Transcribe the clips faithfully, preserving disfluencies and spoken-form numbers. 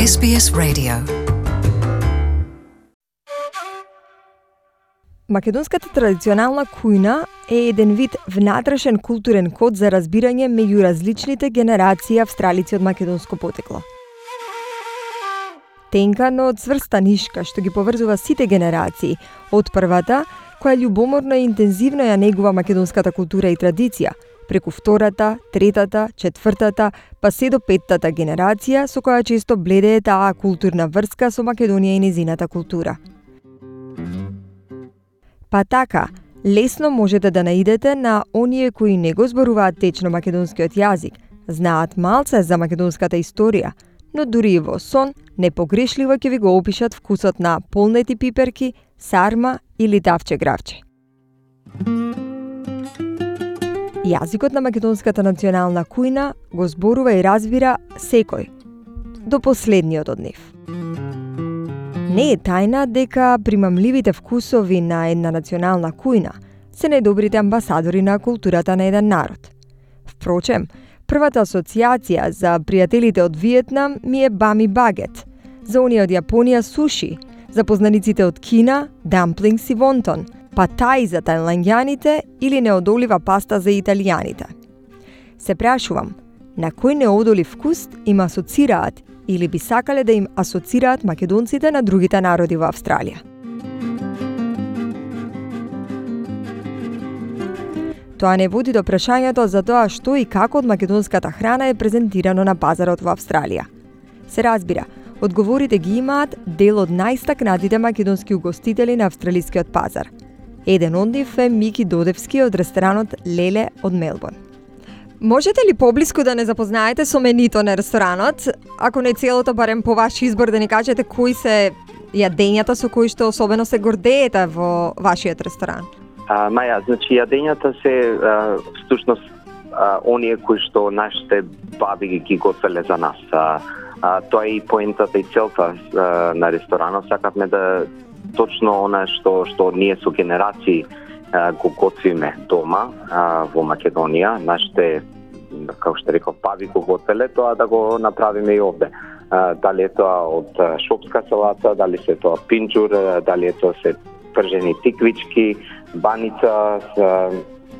Ес Би Ес Radio. Македонската традиционална кујна е еден вид внатрешен културен код за разбирање меѓу различните генерации австралици од македонско потекло. Тенка, но цврста нишка што ги поврзува сите генерации, од првата, која љубоморно и интензивно ја негува македонската култура и традиција, преку втората, третата, четвртата, па се до петтата генерација, со која често бледее таа културна врска со Македонија и незината култура. Па така, лесно можете да наидете на оние кои не го зборуваат течно македонскиот јазик, знаат малце за македонската историја, но дури и во сон, непогрешливо ќе ви го опишат вкусот на полнети пиперки, сарма или тавче гравче. Јазикот на македонската национална кујна го зборува и разбира секој, до последниот од нив. Не е тајна дека примамливите вкусови на една национална кујна се најдобрите амбасадори на културата на еден народ. Впрочем, првата асоциација за пријателите од Виетнам ми е бами багет, за оние од Јапонија суши, за познаниците од Кина дамплингс и вонтон, па тај за тајланѓаните или неодолива паста за италијаните. Се прашувам, на кој неодолив вкус им асоцираат или би сакале да им асоцираат македонците на другите народи во Австралија? Тоа не води до прашањето за тоа што и како од македонската храна е презентирано на пазарот во Австралија. Се разбира, одговорите ги имаат дел од најстакнатите македонски угостители на австралискиот пазар. Еден од нив е Мики Додевски од ресторанот Леле од Мелбурн. Можете ли поблиску да не запознаете со менито на ресторанот, ако не целото, барем по ваш избор да ни кажете кои се јадењата со кои што особено се гордеете во вашиот ресторан? А, Маја, значи јадењата се а, всушност а, оние кои што нашите баби ги готвеле за нас. А, а, тоа е и поентата и целта а, на ресторанот. Сакавме да точно она што што ние со генерации а, го готвиме дома а, во Македонија, нашите, како што реков, баби го готвеле, тоа да го направиме и овде. А, дали е тоа од шопска салата, дали се тоа пинџур, дали е тоа се пржени тиквички, баница, а,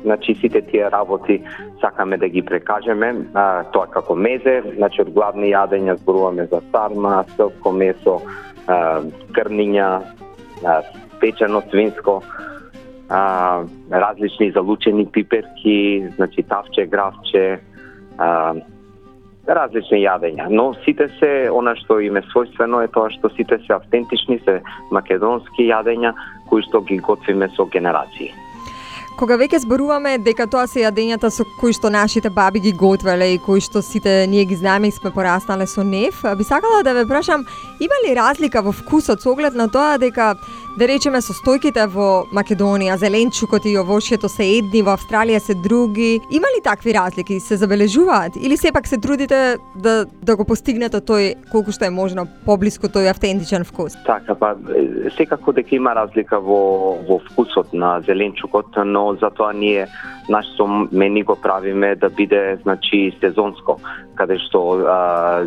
значи сите тие работи сакаме да ги прекажеме, а, тоа како мезе, значи од главни јадења зборуваме за сарма, селско месо, а, крниња, а, печено свинско, а, различни залучени пиперки, значи тавче, гравче, а, различни јадења, но сите се, она што им е својствено е тоа што сите се автентични, се македонски јадења кои што ги готвиме со генерации. Кога веќе зборуваме дека тоа се јадењата со кои што нашите баби ги готвеле и кои што сите ние ги знаеме и сме пораснале со нив, би сакала да ве прашам, има ли разлика во вкусот со оглед на тоа дека, да речеме, состојките во Македонија, зеленчукот и овошјето се едни, во Австралија се други? Има ли такви разлики, се забележуваат? Или сепак се трудите да, да го постигнете тој, колку што е можно, поблиску тој автентичен вкус? Така, па, секако дека има разлика во, во вкусот на зеленчукот, но затоа ние нашето мени го правиме да биде, значи, сезонско, каде што а,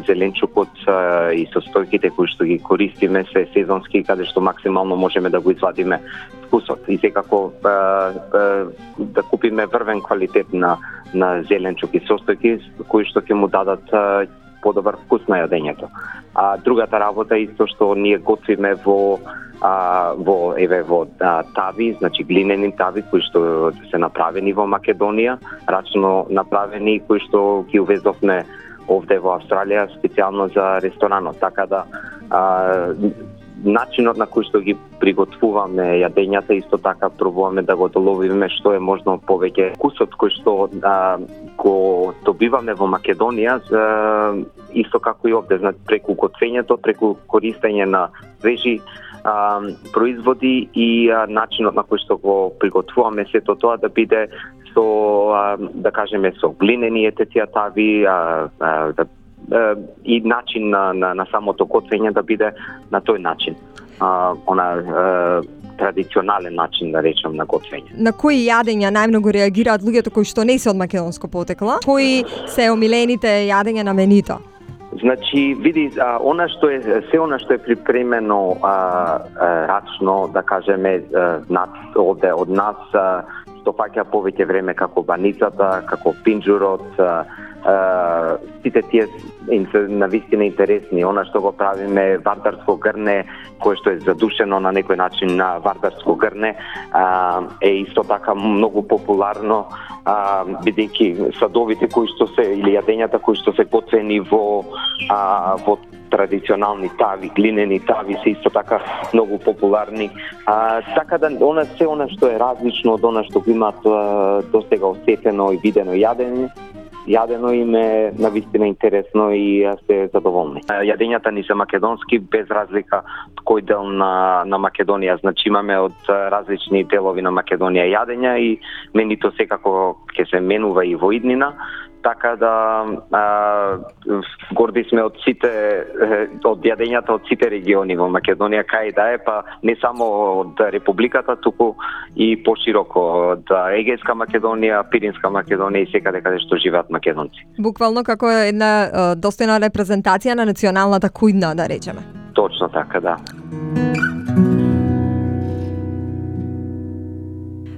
зеленчукот а, и состојките кои што ги користиме се сезонски, каде што максимално можеме да го извадиме вкусот. И секако а, а, да купиме врвен квалитет на, на зеленчук и состојки кои што ќе му дадат а, подобар вкус на јадењето. А другата работа исто што ние готвиме во а, во еве во а, тави, значи глинени тави кои што се направени во Македонија, рачно направени кои што ги увезовме овде во Австралија специјално за ресторанот, така да а, начинот на кој што ги приготвуваме јадењата исто така пробуваме да го доловиме што е можно повеќе вкусот кој што а, го добиваме во Македонија, а, исто како и овде, значи преку готвењето, преку користење на свежи а, производи и а, начинот на кој што го приготвуваме сето тоа да биде со а, да кажеме со глинени ететија тави, а, а, да и начин на, на, на самото готвење да биде на тој начин. А, она а, традиционален начин, да речем, на готвење. На кои јадења најмногу реагираат луѓето кои што не се од македонско потекло? Кои се омилените јадења на менито? Значи, види, а, она што е се она што е припремено а, а, рачно, да кажеме, над од, од нас, а, што фаќа повеќе време како баницата, како пинџурот, а, а, сите тие на вистина интересни. Она што го правиме вардарско грне, кое што е задушено на некој начин на вардарско грне, а, е исто така многу популарно, а, бидејќи садовите кои што се или јадењата кои што се готвени во а, во традиционални тави, глинени тави се исто така многу популарни. А, така да она се она што е различно од она што го имаат досега осетено и видено јадење, јадено им е навистина интересно и се задоволни. Јадењата ни се македонски без разлика кој дел на на Македонија. Значи имаме од различни делови на Македонија јадења и менито секако ќе се менува и во иднина. Така да а, горди сме од сите од јадењата од сите региони во Македонија, кај да е, па не само од републиката, туку и пошироко од Егејска Македонија, Пиринска Македонија и секаде каде што живеат македонци. Буквално како една достојна репрезентација на националната кујна, да речеме. Точно така, да.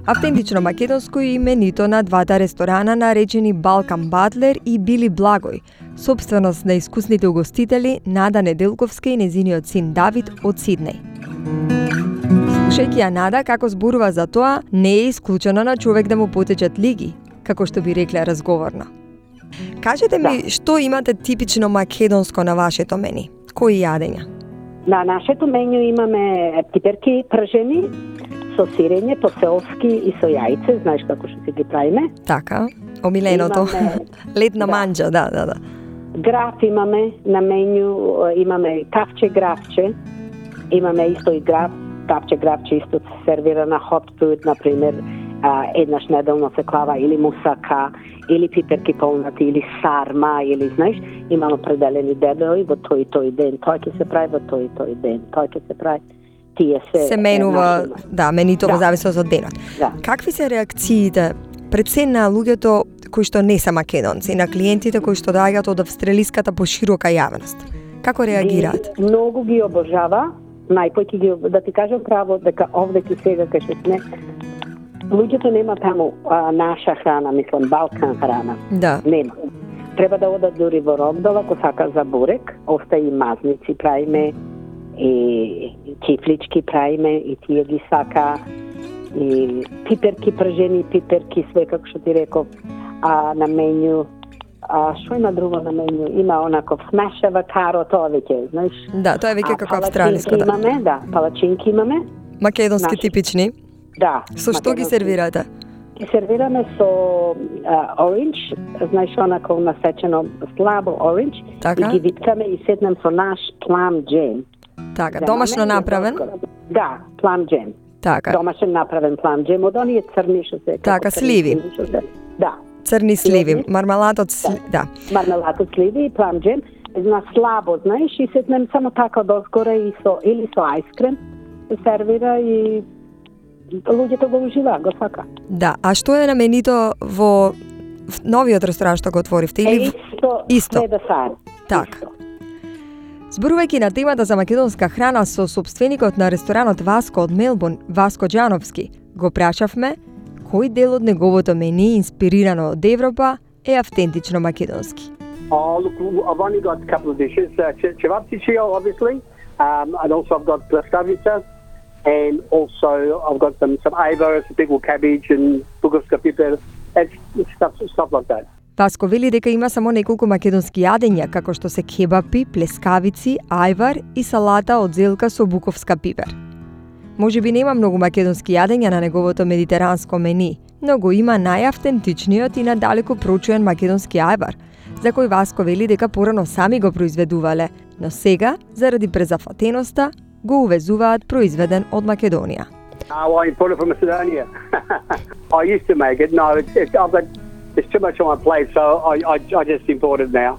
Автентично македонско е именито на двата ресторана наречени Балкан Батлер и Били Благој, сопственост на искусните угостители Нада Неделковска и незиниот син Давид од Сиднеј. Слушајќи ја Нада како зборува за тоа, не е исклучено на човек да му потечат лиги, како што би рекле разговорно. Кажете ми, да. Што имате типично македонско на вашето мени? Кои јадења? На нашето меню имаме пиперки пржени, со сирење, по-селски и со јајце, знаеш како што си ги правиме. Така, омиленото. Имаме, летна да. манџа, да, да, да. Граф имаме на меню, имаме кафче графче, имаме исто и граф, кафче графче исто се сервира на hot food, например, еднаш неделно се клава или мусака, или пиперки полнати, или сарма, или, знаеш, имаме определени дебели во тој и тој ден, тој ќе се прави во тој и тој ден, тој ќе се прави. Тие се, се менува, да, менито во да. зависност од денот. Да. Какви се реакциите пред се на луѓето кои што не се македонци, на клиентите кои што доаѓаат од австралиската поширока јавност? Како реагираат? И многу ги обожава, најпојќе ги, да ти кажам право, дека овде ки сега кај што сме, луѓето нема таму а, наша храна, мислам, Балкан храна. Да. Нема. Треба да одат дури во Рогдала, ако сака за бурек, оста и мазници правиме, и кифлички правиме, и тие ги сака, и пиперки пржени, пиперки, све како што ти реков, а на меню, а што има друго на меню? Има онаков smash avocado, тоа веќе, знаеш? Да, тоа е веќе како австралиско, да. Имаме, да, палачинки имаме. Македонски наши типични? Да. Со што ги сервирате? Ги сервираме со uh, оранж, знаеш, онаков насечено слабо оранж, така? И ги виткаме и седнем со наш плам джем. Така, домашно направен? Да, плам джем. Така. Домашно направен плам джем, од оние црни што се... Така, сливи. Да. Црни сливи, мармелад од сливи, да. Мармелад од сливи и плам джем, на слабо, знаеш, и седнем само така дозгоре и со, или со ајскрем, се сервира и луѓето го уживаат, го сака. Да, а што е на менито во новиот ресторан што го отворивте? Или... Е, исто, исто. Све да сај. Така. Зборувајќи на темата за македонска храна со собственикот на ресторанот Васко од Мелбурн, Васко Џановски, го прашавме кој дел од неговото мени инспирирано од Европа е автентично македонски. Oh, look, I've only got a couple of dishes. Uh, Cevapcicio, obviously, um, and also I've got plaskavica, and also I've got some some ava, some pickled cabbage, and bugarska piper, and stuff stuff like that. Васко вели дека има само неколку македонски јадења, како што се кебапи, плескавици, ајвар и салата од зелка со буковска пипер. Може би нема многу македонски јадења на неговото медитеранско мени, но го има најавтентичниот и надалеку прочуен македонски ајвар, за кој Васко вели дека порано сами го произведувале, но сега, заради презафатеноста, го увезуваат произведен од Македонија. Oh, I imported from Macedonia. I used to make it. No, it's, it's, I've got, it's too much on my plate, so I, I, I just import it now.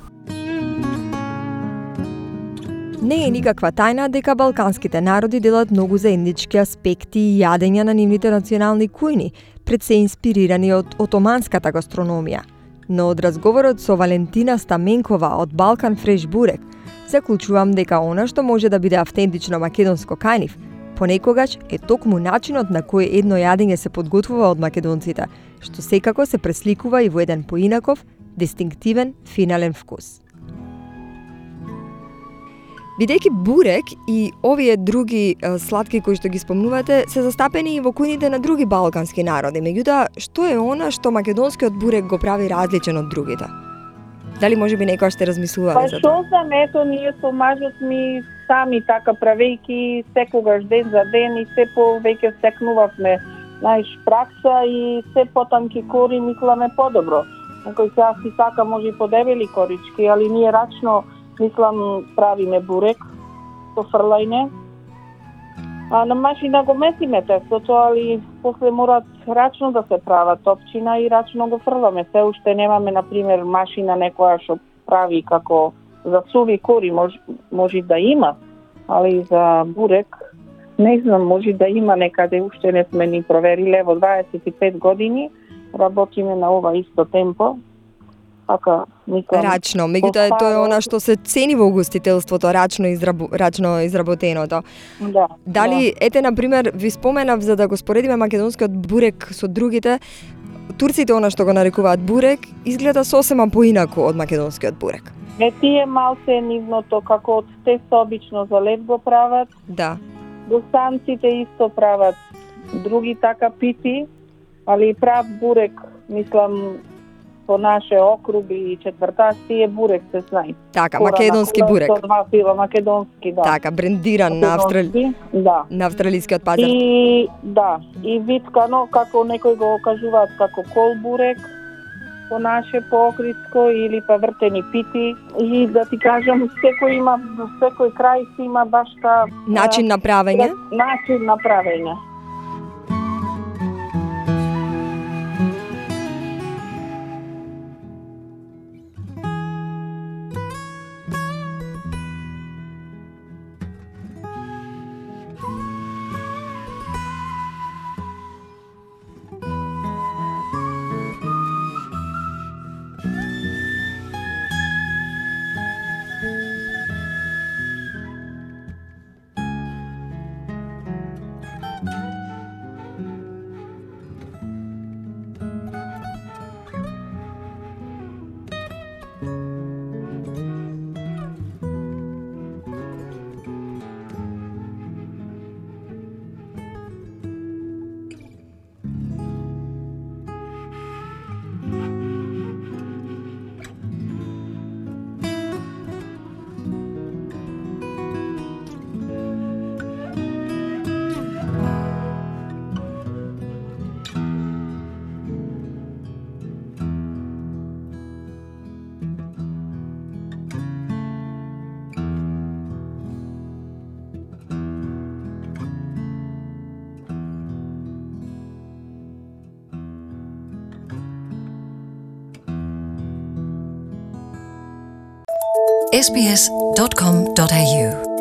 Не е никаква тајна дека балканските народи делат многу заеднички аспекти и јадења на нивните национални кујни, пред се инспирирани од отоманската гастрономија. Но од разговорот со Валентина Стаменкова од Балкан Фреш Бурек, заклучувам дека она што може да биде автентично македонско кај нив, понекогаш е токму начинот на кој едно јадење се подготвува од македонците, што секако се пресликува и во еден поинаков, дистинктивен, финален вкус. Бидејќи бурек и овие други е, сладки кои што ги спомнувате се застапени и во кујните на други балкански народи, меѓутоа што е она што македонскиот бурек го прави различен од другите? Дали може би некоја ще размислувале па, за тоа? Па што знам, ето ние со мажот ми сами така правејки секогаш ден за ден и се повеќе стекнувавме наиш пракса и се потамки кори мисламе подобро. Некој сега си сака може и подебели корички, али ние рачно мислам правиме бурек со фрлајне. А на машина го месиме тестото, али после морат рачно да се прават топчина и рачно го фрламе. Се уште немаме, например, машина некоја што прави како за суви кори, може, може да има, али за бурек не знам, може да има некаде, уште не сме ни провериле. Во дваесет и пет години работиме на ова исто темпо. Така, мислам, рачно, меѓутоа тоа е она што се цени во угостителството, рачно израбу, рачно изработеното. Да. Дали да. ете на пример ви споменав за да го споредиме македонскиот бурек со другите, турците она што го нарекуваат бурек изгледа сосема поинаку од македонскиот бурек. Е тие малце нивното како од тесто обично за лед го прават. Да. Босанците исто прават други така пити, али прав бурек, мислам, по наше округи и четврташти е бурек се знаи. Така, Кора македонски бурек. Со два фила, македонски, да. Така, брендиран на, австрали... да. на австралискиот пазар. И да, и виткано, како некој го кажуваат како кол бурек, по наше, по окритско, или па вртени пити. И да ти кажам, секој има, секој крај си има баш та... Начин на правење? Начин на правење. s b s dot com dot a u